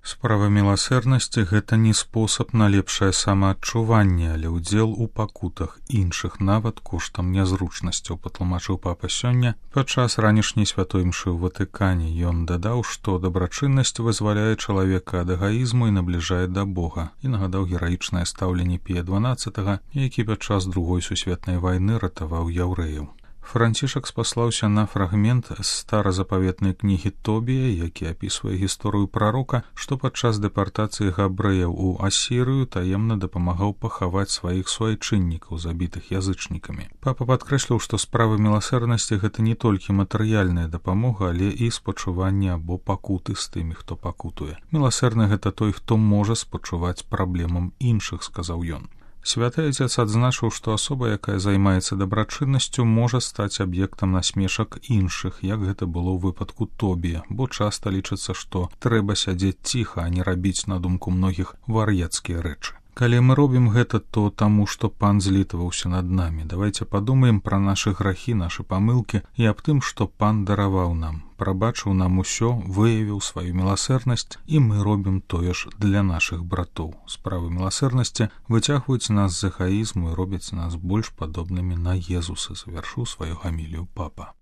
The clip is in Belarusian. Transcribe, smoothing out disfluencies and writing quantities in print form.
Справа міласэрнасці — гэта не спосаб на лепшае самаадчуванне, але ўдзел у пакутах іншых, нават коштам нязручнасцяў, патлумачыў папа сёння падчас ранішняй святой імшы ў Ватыкане. Ён дадаў, што дабрачыннасць вызваляе чалавека ад эгаізму і набліжае да Бога, і нагадаў гераічнае стаўленне Пія XII, які падчас Другой сусветнай вайны ратаваў яўрэяў. Францішак спаслаўся на фрагмент з старазапаветнай кнігі Тобія, які апісвае гісторыю прарока, што падчас дэпартацыі габрэяў у Асірыю таемна дапамагаў пахаваць сваіх суайчыннікаў, забітых язычнікамі. Папа падкрэсліў, што справа міласэрнасці — гэта не толькі матэрыяльная дапамога, але і спачуванне або пакуты з тымі, хто пакутуе. Міласэрны — гэта той, хто можа спачуваць праблемам іншых, сказаў ён. Святы Отец адзначыў, што асоба, якая займаецца дабрачыннасцю, можа стаць аб'ектам насмешак іншых, як гэта было ў выпадку Тобія, бо часта лічыцца, што трэба сядзець ціха, а не рабіць, на думку многіх, вар'яцкія рэчы. Калі мы робім гэта, то таму, што Пан злітаваўся над намі. Давайце падумаем пра нашы грахі, нашы памылкі і аб тым, што Пан дараваў нам, прабачыў нам усё, выявіў сваю міласэрнасць, і мы робім тое ж для нашых братоў. Справы міласэрнасці выцягваюць нас з эгаізму і робяць нас больш падобнымі на Езуса, завяршыў сваю гамілію папа.